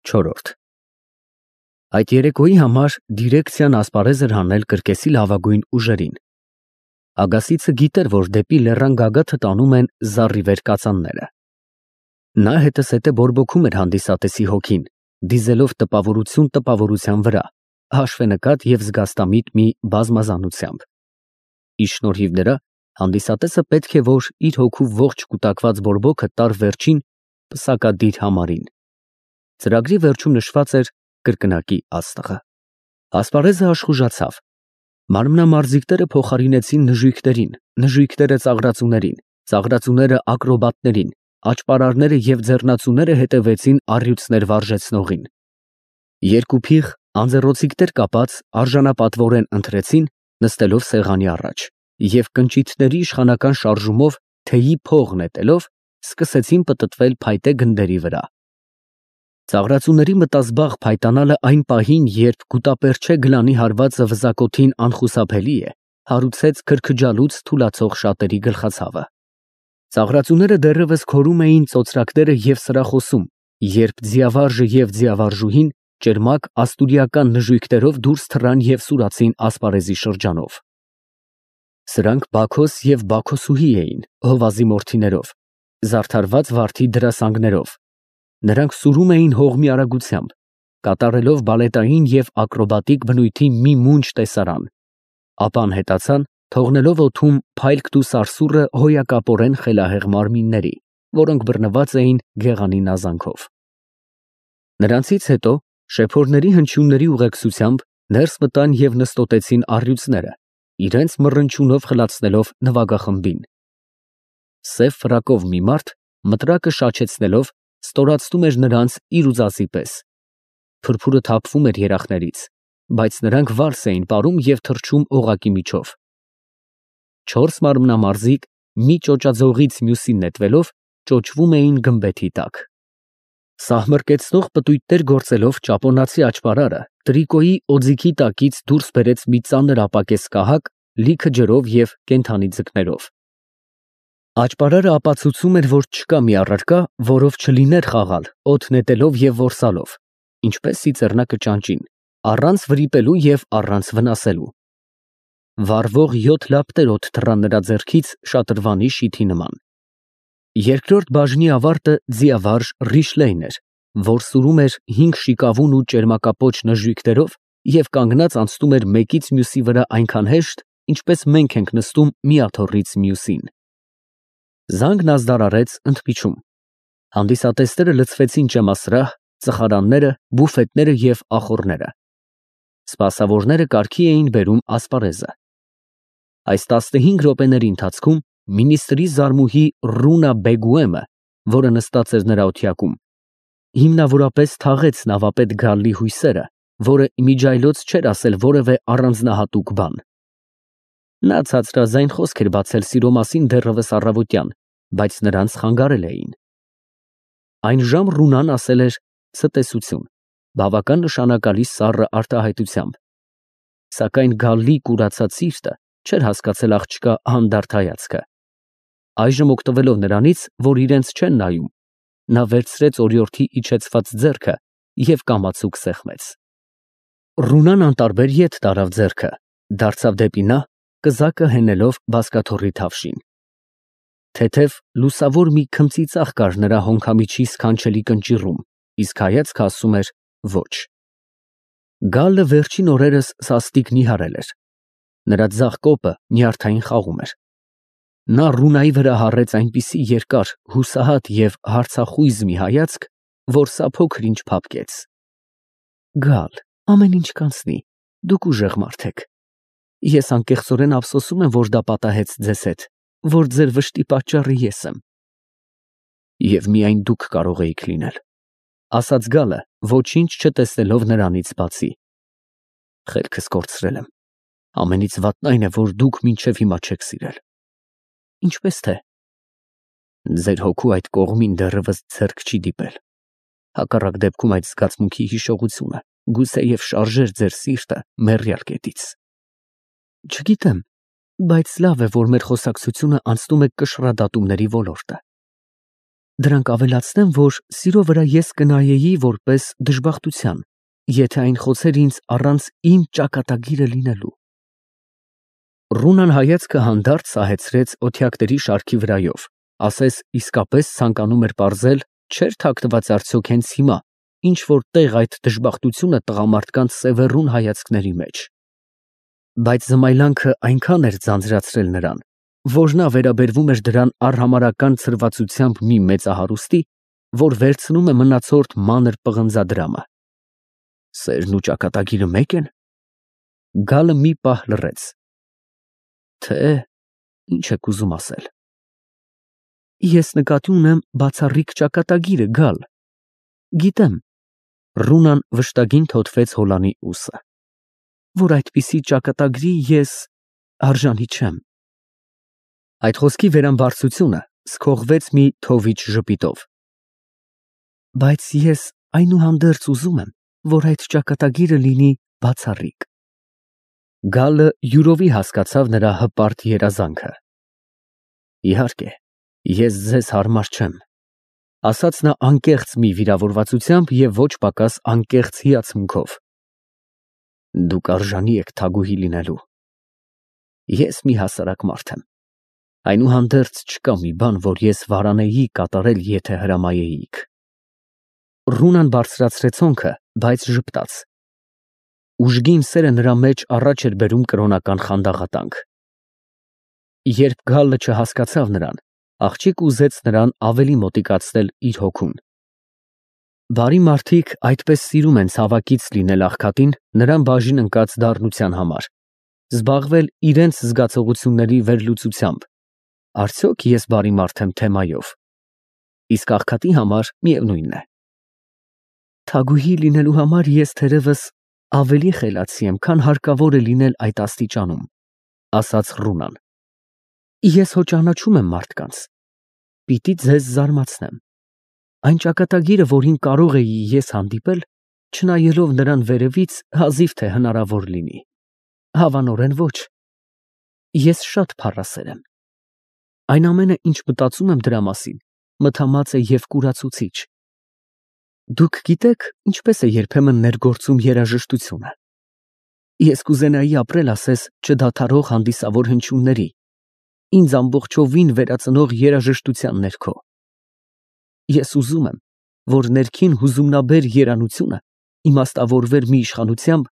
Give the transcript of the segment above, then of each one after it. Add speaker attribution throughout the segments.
Speaker 1: Չորրորդ Այդ երեկոյի համար դիրեկցիան ասպարեզ էր հանել կրկեսի լավագույն ուժերին։ Ագասիցը գիտեր, որ դեպի լեռան գագաթը տանում են զառիվեր կածանները։ Նա հետզհետե բորբոքում էր հանդիսատեսի հոգին, դիզելով տպավորություն տպավորության վրա, հաշվենկատ և զգաստամիտ մի բազմազանությամբ։ Ի շնորհիվ դրա հանդիսատեսը պետք է որ իր հոգու ողջ կուտակված բորբոքը տար վերջին պսակադիր համարին։ Ծրագրի վերջում նշված էր կրկնակի աստղը։ Ասպարեզը աշխուժացավ։ Մարմնամարզիկները փոխարինեցին նժույգներին, նժույգները ծաղրածուներին, ծաղրածուները ակրոբատներին, աճպարարները և ձեռնածուները հետևեցին առյուծներ վարժեցնողին։ Երկու փիղ անձեռոցիկներ կապած արժանապատվորեն ընթրեցին, նստելով սեղանի առաջ, և կնճիթների իշխանական շարժումով թեյի փող նետելով սկսեցին պտտվել փայտե գնդերի վրա։ Ծաղրածուների մտազբաղ փայտանալը այն պահին, երբ գուտապերչե գլանի հարվածը վզակոթին անխուսափելի է, հարուցեց քրքջալուց թուլացող շատերի գլխացավը։ Ծաղրածուները դեռևս քորում էին ծոծրակները և սրախոսում, երբ ձիավարժը և ձիավարժուհին ճերմակ աստուրիական նժույգներով դուրս թռան և սուրացին ասպարեզի շրջանով։ Սրանք Բաքոս և Բաքոսուհի էին, հովազի մորթիներով, զարդարված վարդի դրասանգներով։ Նրանք սուրում էին հողմի արագությամբ, կատարելով բալետային և ակրոբատիկ բնույթի մի մունջ տեսարան, ապա անհետացան, թողնելով օդում փայլկն ու սարսուռը հոյակապորեն խելահեղ մարմինների, որոնք բռնված էին գեղանի նազանքով։ Նրանցից հետո շեփորների հնչյունների ուղեկցությամբ ներս մտան և նստոտեցին առյուծները, իրենց մռնչյունով խլացնելով նվագախմբին։ Սև ֆրակով մի մարդ, մտրակը շաչեցնելով, ստորացնում էր նրանց իր ուզածի պես։ Փրփուրը թափվում էր երախներից, բայց նրանք վալս էին պարում և թռչում օղակի միջով։ Չորս մարմնամարզիկ մի ճոճաձողից մյուսին նետվելով ճոճվում էին գմբեթի տակ։ Սահմռկեցնող պտույտներ գործելով ճապոնացի աճպարարը տրիկոյի օձիքի տակից դուրս բերեց մի ծանր ապակես կահակ, լիքը ջրով և կենդանի ձկներով։ Աճպարարը ապացուցում էր, որ չկա մի առարկա, որով չլիներ խաղալ, օդ նետելով և որսալով, ինչպես ծիծեռնակը ճանճին, առանց վրիպելու և առանց վնասելու։ Վառվող 7 լապտեր օդ թռան նրա ձեռքից շատրվանի շիթի նման։ Երկրորդ բաժնի ավարտը ձիավարժ Ռիշլեյն էր, որ սուրում էր 5 շիկավուն ու ճերմակապոչ նժույգներով և կանգնած անցնում էր մեկից մյուսի վրա այնքան հեշտ, ինչպես մենք ենք նստում մի աթոռից մյուսին։ Զանգն ազդարարեց ընդմիջում։ Հանդիսատեսները լցվեցին ճեմասրահ, ծխարանները, բուֆետները և ախոռները։ Սպասավորները կարգի էին բերում ասպարեզը։ Այս 15 րոպեների ընթացքում մինիստրի զարմուհի Ռունա Բեգուեմը, որը նստած էր նրա օթյակում, հիմնավորապես թաղեց նավապետ Գալլի հույսերը, որը իմիջիայլոց չէր ասել որևէ առանձնահատուկ բան։ Նա ցածրաձայն խոսք էր բացել սիրո մասին դեռևս առավոտյան, բայց նրանց խանգարել էին։ Այն ժամ Ռունան ասել էր ցտեսություն, բավական նշանակալի սառը արտահայտությամբ, սակայն Գալլի կուրացած սիրտը չէր հասկացել աղջկա հանդարտ հայացքը։ Այժմ օգտվելով նրանից, որ իրենց չեն նայում, նա վերցրեց օրիորդի իջեցված ձեռքը և կամացուկ սեղմեց։ Ռունան անտարբեր ետ տարավ ձեռքը, դարձավ դեպի նա, կզակը հենելով բազկաթոռի թավշին։ Թեթև լուսավոր մի քմծիծաղ կար նրա հոնքամիջի սքանչելի կնճիռում, իսկ հայացքը ասում էր ոչ։ Գալլը վերջին օրերս սաստիկ նիհարել էր։ Նրա ձախ կոպը նյարդային խաղում էր։ Նա Ռունայի վրա հառեց այնպիսի երկար, հուսահատ և հարցախույզ մի հայացք, որ սա փոքր ինչ փափկեց։ Գալ, ամեն ինչ կանցնի, դուք ուժեղ մարդ եք։ Ես անկեղծորեն ափսոսում եմ, որ դա պատահեց ձեզ հետ, որ ձեր վշտի պատճառը ես եմ։ Եվ միայն դուք կարող էիք լինել, ասաց Գալը, ոչինչ չտեսնելով նրանից բացի։ Խելքս կորցրել եմ։ Ամենից վատն այն է, որ դուք մինչև հիմա չեք սիրել։ Ինչպես թե։ Ձեր հոգու այդ կողմին դեռևս ձեռք չի դիպել։ Հակառակ դեպքում այդ զգացմունքի հիշողությունը գուցեև շարժեր ձեր սիրտը մեռյալ կետից։ Չգիտեմ, բայց լավ է, որ մեր խոսակցությունը անցնում է կշռադատումների ոլորտը։ Դրանք ավելացնեմ, որ սիրո վրա ես կնայեի որպես դժբախտության, եթե այն խոցեր ինձ առանց իմ ճակատագիրը լինելու։ Ռունան հայացքը հանդարտ սահեցրեց օթյակների շարքի վրայով, ասես իսկապես ցանկանում էր պարզել, չէր թաքնված արդյոք հենց հիմա, ինչ որ տեղ այդ դժբախտությունը տղամարդկանց սևեռուն հայացքների մեջ։ Բայց զմայլանքը այնքան էր ձանձրացրել նրան, որ նա վերաբերվում էր դրան արհամարհական ցրվածությամբ մի մեծահարուստի, որ վերցնում է մնացորդ մանր պղնձադրամը։ Սերն ու ճակատագիրը մեկ են։ Գալը մի պահ լռեց։ Թե ինչ եք ուզում ասել։ Ես նկատի ունեմ բացառիկ ճակատագիրը, Գալ։ Գիտեմ, Ռունան վշտագին թոթվեց հոլանի ուսը, որ այդպիսի ճակատագրի ես արժանի չեմ։ Այդ խոսքի վերամբարձությունը սքողվեց մի թովիչ ժպիտով։ Բայց ես այնուհանդերձ ուզում եմ, որ այդ ճակատագիրը լինի բացառիկ։ Գալը յուրովի հասկացավ նրա հպարտ երազանքը։ Իհարկե, ես ձեզ հարմար չեմ, ասաց նա անկեղծ մի վիրավորվածությամբ և ոչ պակաս անկեղծ հիացմունքով։ Դուք արժանի եք թագուհի լինելու։ Ես մի հասարակ մարդ եմ։ Այնուհանդերձ չկա մի բան, որ ես վարանեի կատարել, եթե հրամայեիք։ Ռունան բարձրացրեց հոնքը, բայց ժպտաց։ Ուժգին սերը նրա մեջ առաջ էր բերում կրոնական խանդաղատանք։ Երբ Գալը չհասկացավ նրան, աղջիկ ուզեց նրան ավելի մոտիկացնել իր հոգուն։ Բարի մարդիկ այդպես սիրում են ցավակից լինել աղքատին նրան բաժին ընկած դառնության համար, զբաղվել իրենց զգացողությունների վերլուծությամբ։ Արդյոք ես բարի մարդ եմ թեմայով։ Իսկ աղքատի համար միևնույնն է։ Թագուհի լինելու համար ես թերևս ավելի խելացի եմ, քան հարկավոր է լինել այդ աստիճանում, ասաց Ռունան։ Ես հո ճանաչում եմ մարդկանց։ Պիտի ձեզ զարմացնեմ։ Այն ճակատագիրը, որին կարող էի ես հանդիպել, չնայելով նրան վերևից, հազիվ թե հնարավոր լինի։ Հավանորեն ոչ։ Ես շատ փառասեր եմ։ Այն ամենը, ինչ մտածում եմ դրա մասին, մթամած է և կուրացուցիչ։ Դուք գիտեք, ինչպես է երբեմն ներգործում երաժշտությունը։ Ես կուզենայի ապրել ասես չդադարող հանդիսավոր հնչյունների, ինձ ամբողջովին վերածնող երաժշտության ներքո։ Ես ուզում եմ, որ ներքին հուզումնաբեր երանությունը իմաստավորվեր մի իշխանությամբ,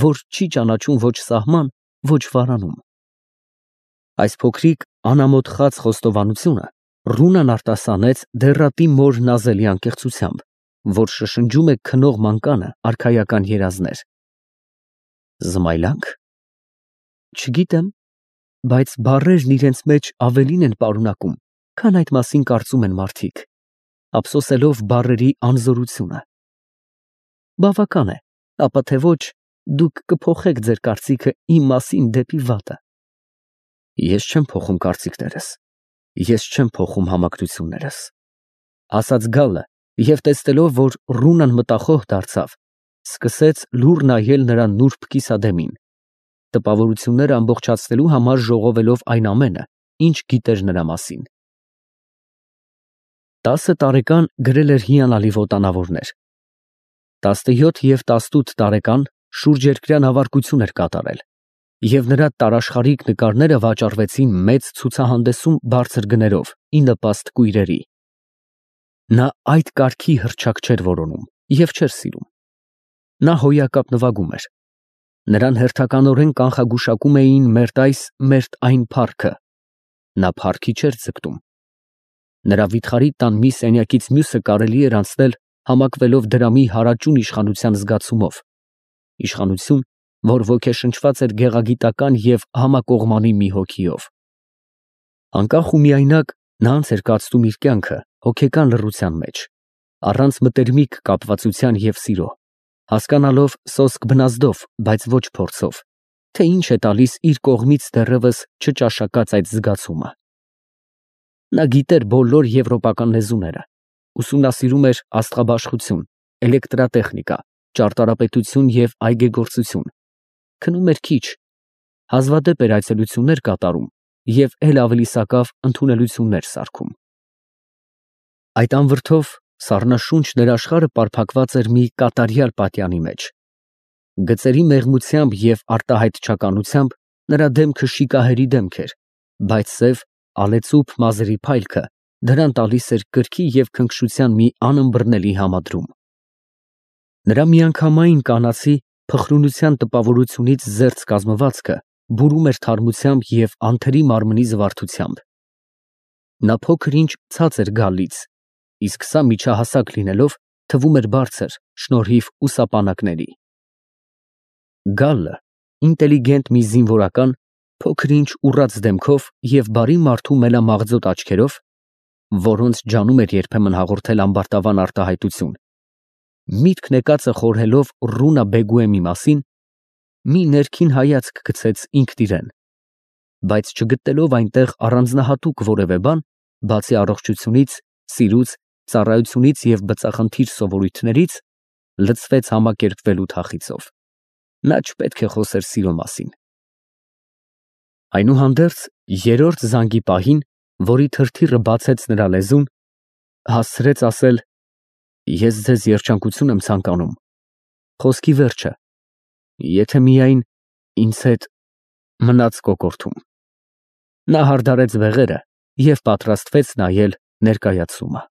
Speaker 1: որ չի ճանաչում ոչ սահման, ոչ վարանում։ Այս փոքրիկ անամոթ խաց խոստովանությունը Ռունան արտասանեց դեռատի մոր նազելի անկեղծությամբ, որ շշնջում է քնող մանկանը արքայական երազներ։ Զմայլանք։ Չգիտեմ, բայց բառերն իրենց մեջ ավելին են պարունակում, քան այդ մասին կարծում են մարդիկ, ափսոսելով բառերի անզորությունը։ Բավական է, ապա թե ոչ, դուք կփոխեք ձեր կարծիքը իմ մասին դեպի վատը։ Ես չեմ փոխում կարծիքներս, ես չեմ փոխում համակրություններս, ասաց Գալը, և տեսնելով, որ Ռունան մտախոհ դարձավ, սկսեց լուռ նայել նրա նուրբ կիսադեմին, տպավորությունները ամբողջացնելու համար ժողովելով այն ամենը, ինչ գիտեր նրա մասին։ 10 տարեկան գրել էր հիանալի ոտանավորներ։ 17 և 18 տարեկան շուրջերկրյա նավարկություն էր կատարել, և նրա տարաշխարհիկ նկարները վաճառվեցին մեծ ցուցահանդեսում բարձր գներով, ի նպաստ կույրերի։ Նա այդ կարգի հռչակ չէր որոնում և չէր սիրում։ Նա հոյակապ նվագում էր։ Նրան հերթականորեն կանխագուշակում էին մերթ այս, մերթ այն փառքը։ Նա փառքի չէր ձգտում։ Նրա վիթխարի տան մի սենյակից մյուսը կարելի էր անցնել համակվելով դրամի հարաճուն իշխանության զգացումով, իշխանություն, որ ոգեշնչված էր գեղագիտական և համակողմանի մի հոգիով։ Անկախ ու միայնակ նա անց էր կացնում իր կյանքը հոգեկան լռության մեջ, առանց մտերմիկ կապվածության և սիրո, հասկանալով սոսկ բնազդով, բայց ոչ փորձով, թե ինչ է տալիս իր կողմից դեռևս չճաշակած այդ զգացումը։ Նա գիտեր բոլոր եվրոպական լեզուները, ուսումնասիրում էր աստղաբաշխություն, էլեկտրատեխնիկա, ճարտարապետություն և այգեգործություն, քնում էր քիչ, հազվադեպ էր այցելություններ կատարում և էլ ավելի սակավ ընդունելություններ սարքում։ Այդ անվրդով սառնաշունչ ներաշխարհը պարփակված էր մի կատարյալ պատյանի մեջ։ Գծերի մեղմությամբ և արտահայտչականությամբ նրա դեմքը շիկահերի դեմք էր, բայց սև, ալեծուփ մազերի փայլքը դրան տալիս էր կրքի և քնքշության մի անըմբռնելի համադրում։ Նրա միանգամայն կանացի փխրունության տպավորությունից զերծ կազմվածքը բուրում էր թարմությամբ և անթերի մարմնի զվարթությամբ։ Նա փոքր-ինչ ցած էր գալլից, իսկ սա միջահասակ լինելով թվում էր բարձր շնորհիվ ուսապանակների։ Գալլը ինտելիգենտ մի զինվորական, փոքր-ինչ ուռած դեմքով և բարի մարդու մելամաղձոտ աչքերով, որոնց ջանում էր երբեմն հաղորդել ամբարտավան արտահայտություն, միտք նեկածը խորհելով Ռունա Բեգուեմի մասին, մի ներքին հայացք գցեց ինքն իրեն, բայց չգտնելով այնտեղ առանձնահատուկ որևէ բան, բացի առողջությունից, սիրուց, ծառայությունից և բծախնդիր սովորույթներից, լցվեց համակերպվելու թախիծով։ Նա չպետք է խոսեր սիրո մասին։ Այնուհանդերձ, երրորդ զանգի պահին, որի թրթիռը բացեց նրա լեզուն, հասցրեց ասել. «Ես ձեզ երջանկություն եմ ցանկանում, խոսքի վերջը, եթե միայն ինձ հետ մնաց կոկորդում»։ Նա հարդարեց բեղերը և պատրաստվեց նայել ներկայացումը։